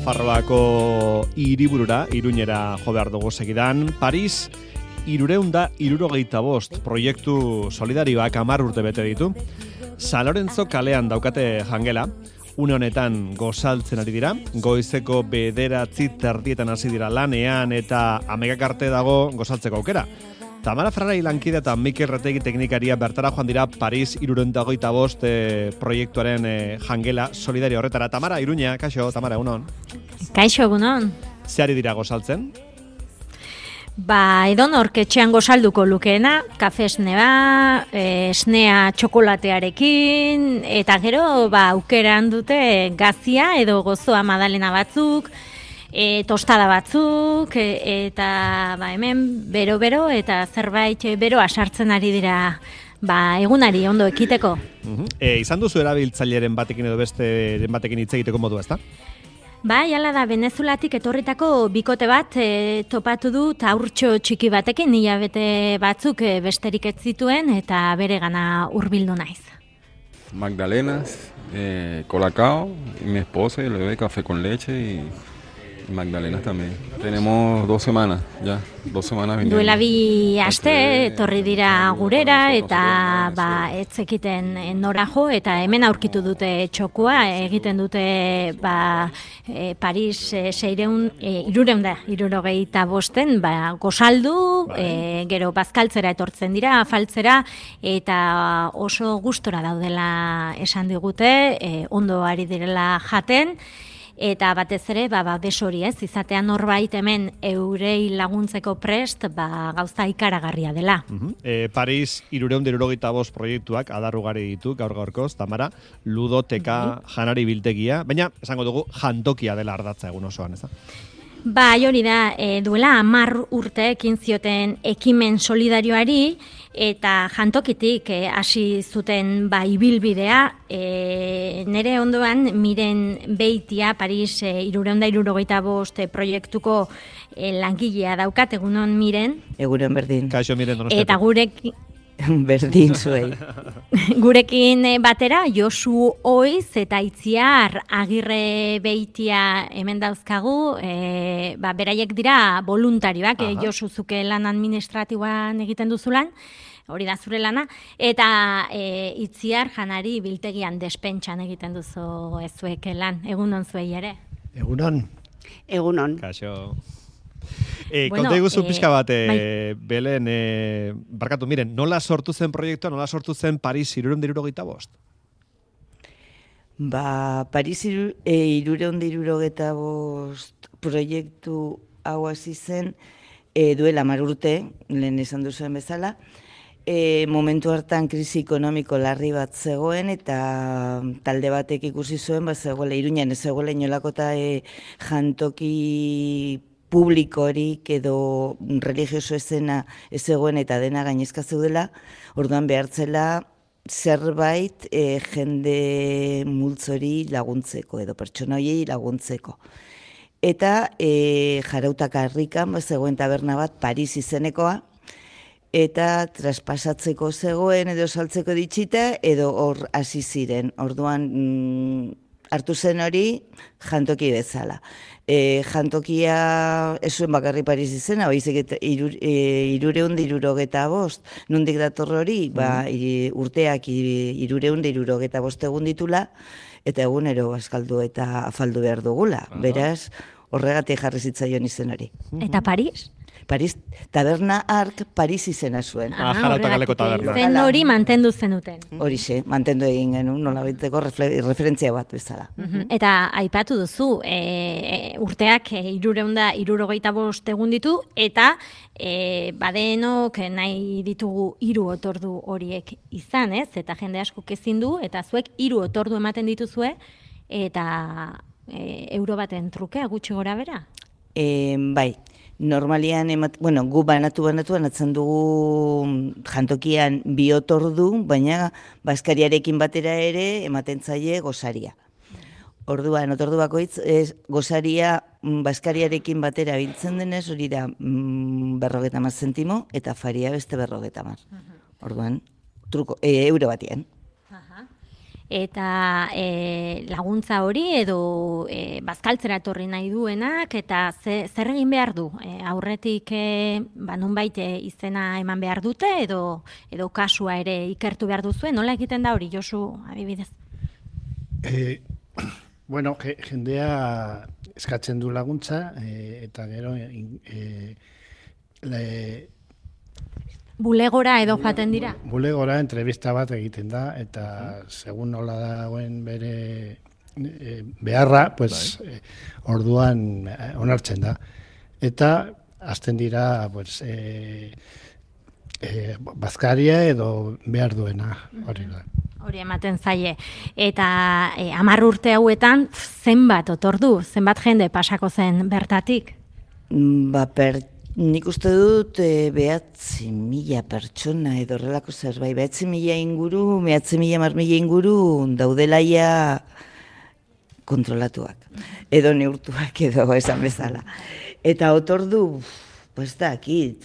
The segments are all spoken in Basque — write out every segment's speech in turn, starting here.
Nafarroako hiriburura, Iruñera jo behar dugu segidan. Paris, 375 proiektu solidarioak 10 urte bete ditu. San Lorenzo kalean daukate jangela, une honetan gozaltzen ari dira, goizeko 9:30 hasi dira lanean eta 11 arte dago gozaltzeko aukera. Tamara Ferrari lankide eta Mikel Retegi teknikaria bertara joan dira Paris 375 proiektuaren jangela solidario horretara. Tamara, Iruña, kaixo, Tamara, egunon. Kaixo, egunon. Zeari dira gozaltzen? Edonork etxean gozalduko lukeena, kafe esnea, esnea txokolatearekin, eta gero aukeran dute gazia edo gozoa madalena batzuk, tostada batzuk, eta hemen bero-bero eta zerbait beroa sartzen ari dira egunari ondo ekiteko. Izan duzu erabiltzaileren batekin edo besteren batekin hitz egiteko modua, ezta? Hala da, Venezuelatik etorritako bikote bat topatu du haurtxo txiki batekin, hilabete batzuk besterik ez zituen eta bere gana hurbildu naiz. Magdalenas, colacao, y mi esposa y le doy café con leche y magdalenas también. Tenemos 2 semanas, ya, 2 semanas viniendo. Duela 2 aste etorri dira gurera eta ez zekiten nora jo eta hemen aurkitu dute txokua, egiten dute Paris 375 gozaldu, gero bazkaltzera etortzen dira, afaltzera eta oso gustora daudela esan digute, ondo ari direla jaten. Eta batez ere, desori izatean norbait hemen eurei laguntzeko prest, gauza ikaragarria dela. Paris 375 proiektuak adarrugari ditu gaur-gaurkoz, Tamara, ludoteka, janari biltegia, baina esango dugu jantokia dela ardatza egun osoan, ez da? Hori da, duela 10 urte ekin zioten ekimen solidarioari eta jantokitik hasi zuten ibilbidea. Nere ondoan Miren Beitia, Paris 375 proiektuko langilea daukat, egunon Miren. Egunon berdin. Kaixo Miren Donostiako. Eta gurekin berdin zuei. Gurekin batera Josu Oiz eta Itziar Agirre Beitia hemen dauzkagu, beraiek dira voluntarioak, Josu zuke lan administratiboan egiten duzulan, hori da zure lana, eta Itziar janari biltegian despentsan egiten duzu ezuek lan, egunon zuei ere. Egunon. Egunon. Kaixo. Konta iguzu pixka bat, Belen, barkatu, miren, nola sortu zen proiektua, nola sortu zen Paris 375? Paris 375 proiektu hau hasi zen duela 10 urte, lehen esan duzuen bezala, momentu hartan krisi ekonomiko larri bat zegoen eta talde batek ikusi zuen, zegoela Iruñan ez zegoela inolako eta jantoki publikorik edo religioso ezena ez zegoen eta dena gainezka zeudela, orduan behartzela zerbait jende multzori laguntzeko edo pertsona horiei laguntzeko. Eta Jarautak harrikan zegoen taberna bat Paris izenekoa, eta traspasatzeko zegoen edo saltzeko ditxita edo hor hasi ziren. Orduan hartu zen hori jantoki bezala. Jantokia ez zuen bakarri Paris izena, baizik 375, nondik dator hori, urteak 375 egun ditula, eta egunero bazkaldu eta afaldu behar dugula. Beraz, horregatik jarri zitzaion izen hori. Eta Paris? Paris, taberna Ark Paris izena zuen. Jarauta kaleko taberna. Zen hori mantendu zenuten. Horixe, mantendu egin genuen, nolabaiteko referentzia bat bezala. Eta aipatu duzu, urteak 375 egun ditu, eta badenok nahi ditugu 3 otordu horiek izan, ez? Eta jende askok ezin du, eta zuek 3 otordu ematen dituzue, eta euro baten trukea gutxi gora bera? Bai. Normalian, gu banatzen dugu jantokian 2 otordu, baina bazkariarekin batera ere ematen zaie gosaria. Orduan, otordu bakoitz, gosaria bazkariarekin batera biltzen denez, hori da 50 zentimo, eta faria beste 50. Orduan, euro batean. eta laguntza hori edo bazkaltzera etorri nahi duenak, eta zer egin behar du? Aurretik nonbait izena eman behar dute edo kasua ere ikertu behar duzue, nola egiten da hori, Josu, adibidez? Bueno, jendea eskatzen du laguntza, eta gero bulegora edo joaten dira? Bulegora entrevista bat egiten da, eta segun nola dagoen bere beharra, pues, orduan onartzen da. Eta hasten dira pues, bazkaria edo behar duena, hori da. Hori ematen zaie. Eta 10 urte hauetan zenbat otordu, zenbat jende pasako zen bertatik? Nik uste dut 9.000 pertsona edo horrelako zerbait, 9.000 inguru, 9.000 inguru daudelaia kontrolatuak, edo neurtuak edo esan bezala. Eta otordu, pues da, aquí,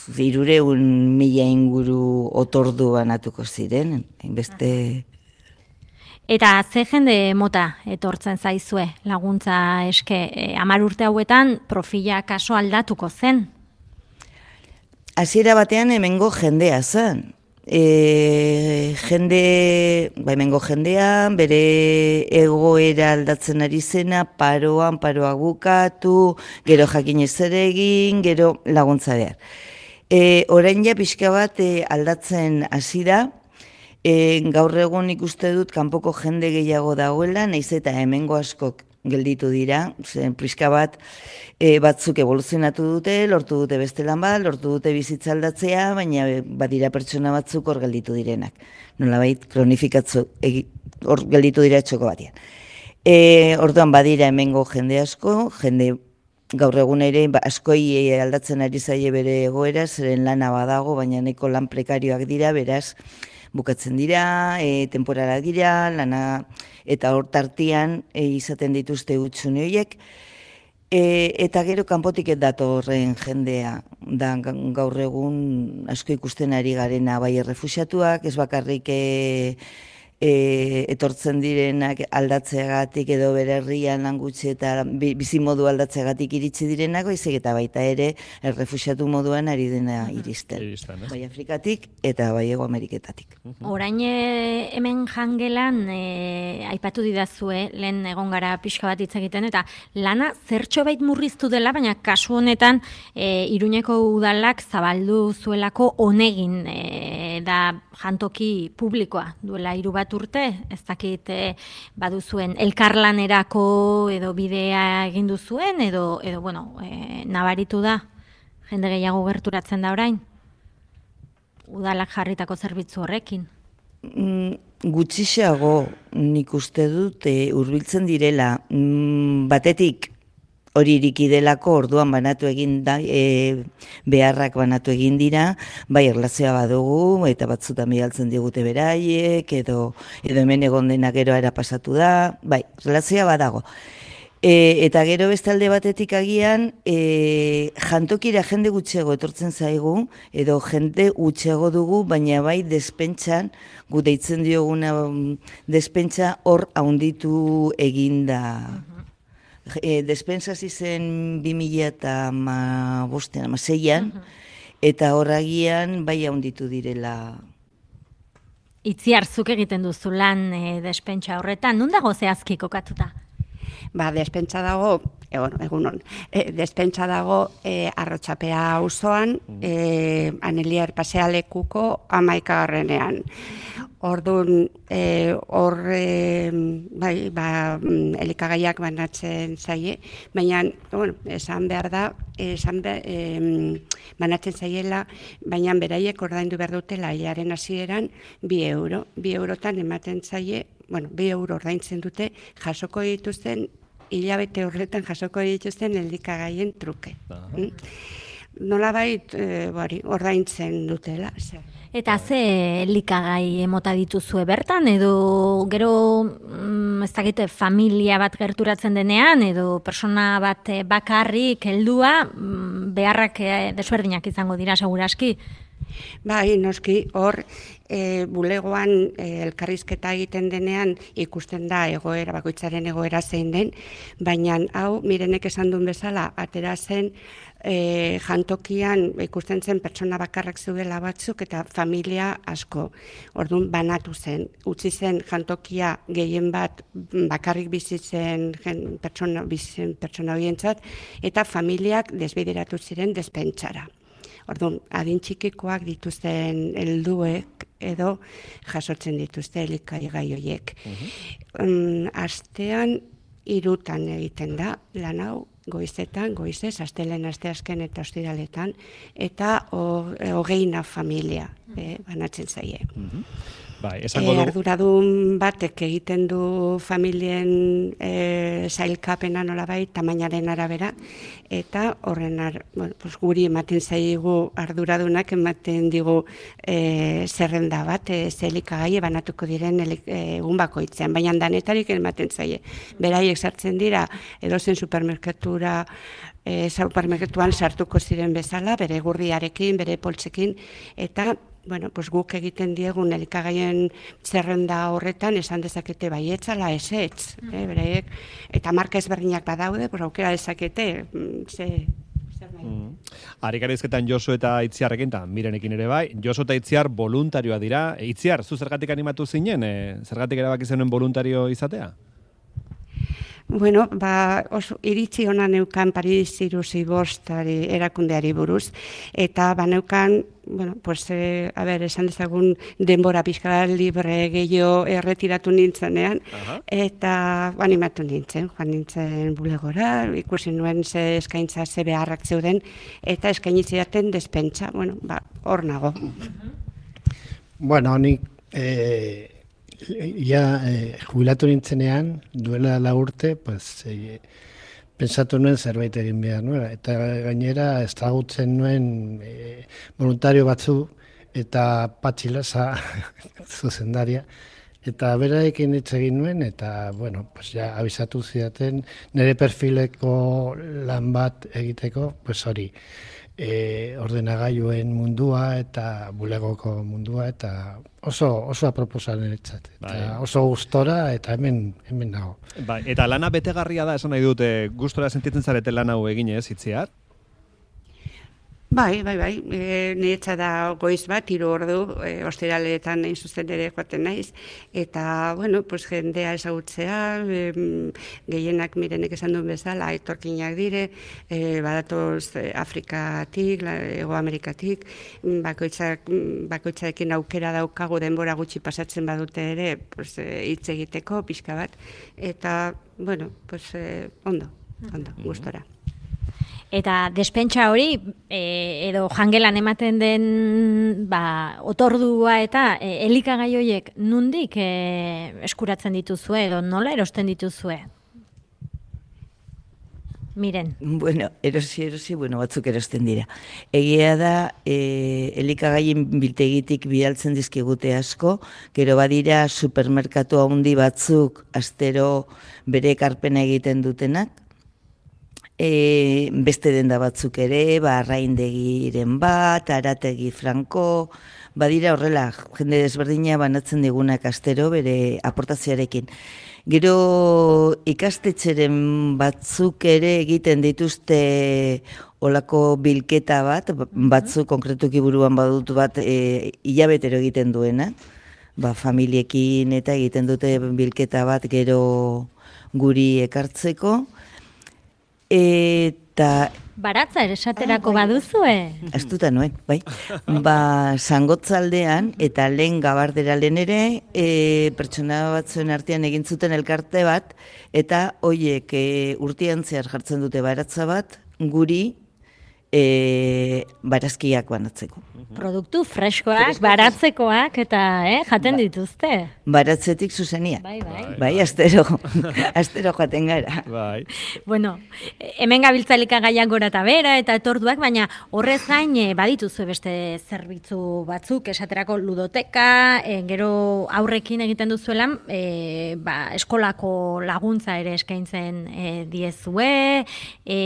300.000 inguru otordu banatuko ziren, hainbeste. Eta ze jende mota etortzen zaizue laguntza eske, 10 urte hauetan profila kaso aldatuko zen? Hasiera batean hemengo jendea zen. Hemengo jendean, bere egoera aldatzen ari zena, paroak bukatu, gero jakin ezer egin, gero laguntza behar. Orain ja pixka bat aldatzen hasi da, gaur egun ikuste dut kanpoko jende gehiago dagoela, naiz eta hemengo askok gelditu dira, zen pixka bat batzuk evoluzionatu dute, lortu dute beste lan bat, lortu dute bizitza aldatzea, baina badira pertsona batzuk hor gelditu direnak. Nolabait kronifikatzu hor gelditu dira txoko batean. Orduan badira hemengo jende asko, jende gaur egun ere askoi aldatzen ari zaie bere egoera, zeren lana badago, baina nahiko lan prekarioak dira, beraz, bukatzen dira, temporara dira, lana eta hor tartian izaten dituzte hutsune horiek, eta gero kanpotik datorren jendea da gaur egun asko ikusten ari garena, bai errefuxiatuak, ez bakarrik etortzen direnak aldatzeagatik edo bere herrian lan gutxi eta bizimodu aldatzeagatik iritsi direnak, baizik eta baita ere errefuxiatu moduan ari dena iristen. Bai Afrikatik eta bai Hego Ameriketatik. Orain hemen jangelan aipatu didazue, lehen egon gara pixka bat hitz egiten, eta lana zertxobait murriztu dela, baina kasu honetan Iruñeko udalak zabaldu zuelako honegin da jantoki publikoa duela 3 bat urte, ez dakit baduzuen elkarlanerako edo bidea egin duzuen edo bueno, nabaritu da jende gehiago gerturatzen da orain udalak jarritako zerbitzu horrekin. Gutxixeago nik uste dut hurbiltzen direla, batetik hori iriki delako orduan banatu egin da, beharrak banatu egin dira, bai erlazioa badugu, eta batzutan bialtzen digute beraiek, edo hemen egon dena gero era pasatu da, bai, erlazioa badago. Eta gero bestalde batetik agian, jantokira jende gutxego etortzen zaigu, edo jende gutxego dugu, baina bai despentsan, gu deitzen dioguna despentsa hor haunditu eginda. Despensa zen 2016an, eta horragian bai haunditu direla. Itziar, zuk egiten duzu lan despentsa horretan, nun dago zehazki kokatuta? Despentsa dago, egunon, despentsa dago Arrotxapea auzoan, Aneliar pasealekuko 11. Orduan, elikagaiak banatzen zaie, baina, esan behar da, banatzen zaiela, baina beraiek ordaindu behar dutela hilaren hasieran 2 euro. 2 eurotan ematen zaie, 2 euro ordaintzen dute, jasoko dituzten, hilabete horretan jasoko dituzten elikagaien truke. Nolabait, ordaintzen dutela, zer. Eta ze elikagai emota dituzue bertan, edo gero ez dakite familia bat gerturatzen denean, edo persona bat bakarrik heldua, beharrak desberdinak izango dira seguraski? Bai, noski, hor, bulegoan elkarrizketa egiten denean ikusten da egoera, bakoitzaren egoera zein den, baina hau, Mirenek esan duen bezala, atera zen jantokian ikusten zen pertsona bakarrak zeudela batzuk eta familia asko. Orduan banatu zen, utzi zen jantokia gehien bat bakarrik bizitzen pertsona horientzat eta familiak desbideratu ziren despentsara. Orduan, adin txikikoak dituzten helduek edo jasotzen dituzte elikagai horiek. Astean 3 egiten da lan hau, goizetan, goizez, astelen, asteazken eta ostiraletan, eta 20 familia banatzen zaie. Bai, esango du... Arduradun batek egiten du familien sailkapena nolabait, tamainaren arabera, eta horren guri ematen zaigu arduradunak ematen digu zerrenda bat, zelikagai banatuko diren egun bakoitzean, baina danetarik ematen zaie. Beraiek sartzen dira, edozen supermerkatuan sartuko ziren bezala, bere gurriarekin, bere poltsekin, eta guk egiten diegun elikagaien zerrenda horretan esan dezakete baietzala ezetz, beraiek, eta marka ezberdinak badaude, aukera dezakete, Arikarizketan Josu eta Itziarrekin, eta Mirenekin ere bai, Josu eta Itziar voluntarioa dira. Itziar, zu zergatik animatu zinen, zergatik erabaki zenuen voluntario izatea? Bueno, oso iritzi ona neukan Paris 65 erakundeari buruz, eta neukan, esan dezagun denbora pixka libre gehiago erretiratu nintzenean, eta animatu nintzen, joan nintzen bulegora, ikusi nuen ze eskaintza ze beharrak zeuden, eta eskainitzidaten despentsa, hor nago. Bueno, nik... jubilatu nintzenean, duela 4 urte, pensatu nuen zerbait egin behar nuela. Eta gainera, ezagutzen nuen voluntario batzu eta Patxilasa zuzendaria. Eta berarekin hitz egin nuen, eta, abisatu zidaten, nire perfileko lan bat egiteko, hori. Ordenagailuen mundua eta bulegoko mundua eta oso aproposan eretzat. Eta oso gustora eta hemen nago. Eta lana betegarria da, esan nahi dute, gustora sentitzen zarete lan hau eginez, Itziar? Bai. Niretza da goiz bat, 3 ordu, ostiraletan nahi zuzen ere joaten naiz. Eta, jendea ezagutzea, gehienak Mirenek esan duen bezala, etorkinak dire, badatoz Afrikatik, Hego Amerikatik, bakoitzarekin aukera daukagu denbora gutxi pasatzen badute ere, hitz egiteko, pixka bat. Eta, ondo, gustora. Eta despentsa hori, edo jangelan ematen den otordua eta elikagai horiek nondik eskuratzen dituzue edo nola erosten dituzue? Miren. Erosi, batzuk erosten dira. Egia da, elikagaien biltegitik bidaltzen dizkigute asko, gero badira supermerkatu handi batzuk astero bere ekarpena egiten dutenak, beste denda batzuk ere, Arraindegiren bat, Arategi Franko, badira horrela, jende desberdina banatzen digunak astero bere aportazioarekin. Gero ikastetxeren batzuk ere egiten dituzte olako bilketa bat, batzuk konkretuki buruan badut bat hilabetero egiten duena, familiekin eta egiten dute bilketa bat gero guri ekartzeko. Eta... Baratza esaterako baduzue? Astuta nuen, bai. Zangotzaldean eta lehen Gabardera lehen ere, pertsona batzuen artean egin zuten elkarte bat, eta hoiek urtean zehar jartzen dute baratza bat, guri barazkiak banatzeko. Produktu freskoak, baratzekoak eta jaten dituzte. Baratzetik zuzenia. Bai, astero jaten gara. Bai. Bueno, hemen gabiltza elikagaiak gora eta bera eta etorduak, baina horrez gain badituzu beste zerbitzu batzuk, esaterako ludoteka, gero aurrekin egiten duzuelan, eskolako laguntza ere eskaintzen diezue,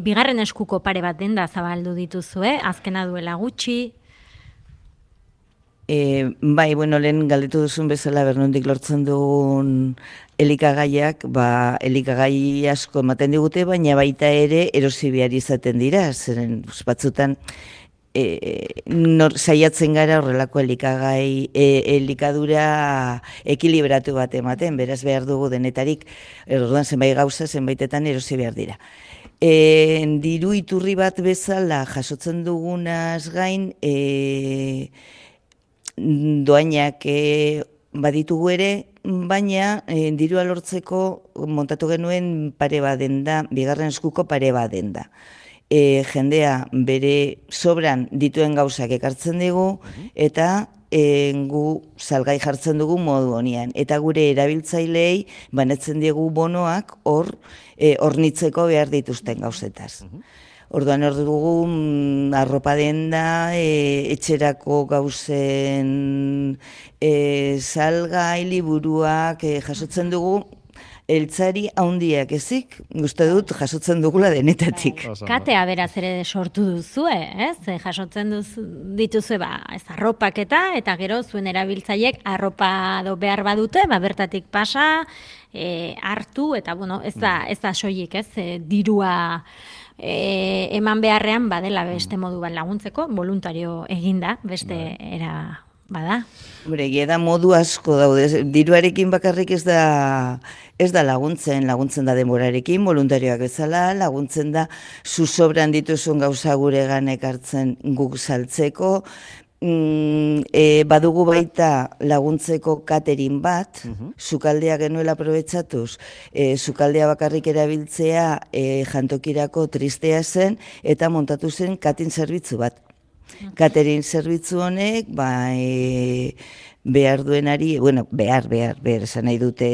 bigarren eskuko pare bat denda zabaldu dituzue, azkena duela gutxi. Bai, bueno, lehen galdetu duzun bezala bernondik lortzen dugun elikagaiak, elikagai asko ematen digute, baina baita ere erosi behar izaten dira, zeren batzutan saiatzen gara horrelako elikadura ekilibratu bat ematen, beraz behar dugu denetarik, orduan zenbait gauza, zenbaitetan erosi behar dira. Diru iturri bat bezala jasotzen dugunaz gain, doainak baditugu ere, baina dirua lortzeko montatu genuen pare baden da, bigarren eskuko pare baden da. Jendea bere sobran dituen gauzak ekartzen dugu, eta gu salgai jartzen dugu modu honian. Eta gure erabiltzailei banetzen diegu bonoak hornitzeko behar dituzten gauzetaz. Orduan hor dugu arropa denda, etxerako gauzen salgai, liburuak jasotzen dugu, eltzari haundiak ezik, uste dut jasotzen dugula denetatik. Katea beraz ere sortu duzue, ez? Jasotzen dituzue, ez arropak eta gero zuen erabiltzaiek arropa behar badute, bertatik pasa, hartu, eta bueno, ez da soilik, ez? Dirua eman beharrean badela beste modu bat laguntzeko, voluntario eginda, beste era bada. Hombre, da modu asko daude, diruarekin bakarrik ez da laguntzen da denborarekin, voluntarioak bezala, laguntzen da zuzobran dituzun gauza guregan ekartzen guk saltzeko, badugu baita laguntzeko catering bat, sukaldea genuela aprobetxatuz, sukaldea bakarrik erabiltzea jantokirako tristea zen, eta montatu zen catering zerbitzu bat. Catering zerbitzu honek, behar duenari, behar, esan nahi dute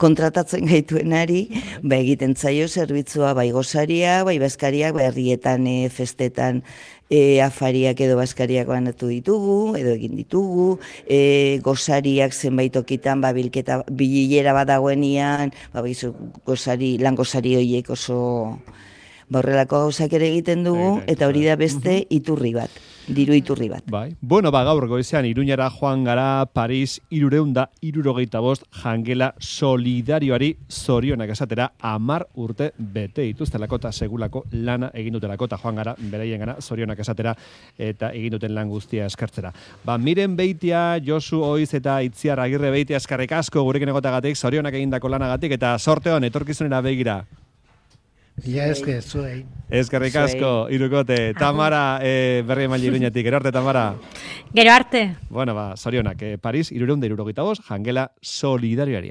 kontratatzen gaituenari, egiten zaio zerbitzua bai gozaria, bai bazkariak, herrietan, festetan, afariak edo bazkariak banatu ditugu, edo egin ditugu, gozariak zenbait okitan, bilera bat dagoenian, lan gozari horiek oso horrelako gauzak ere egiten dugu, eta hori da beste iturri bat, diru iturri bat. Bai. Bueno, gaur goizean Iruñara joan gara Paris 375 jangela solidarioari zorionak esatera 10 urte bete dituztelako eta segulako lana egin dutelako eta joan gara beraien gana zorionak esatera eta egin duten lan guztia eskartzera. Miren Beitia, Josu Oiz eta Itziar Agirre Beitia eskarrik asko gurekin egotagatik, zorionak egindako lanagatik eta sorte hon etorkizunera begira. Ja, zuei. Eskerrik asko, Irukote. Tamara, berri emaile Iruñatik. Gero arte, Tamara. Gero arte. Bueno, zorionak, Paris 375 jangela solidarioari.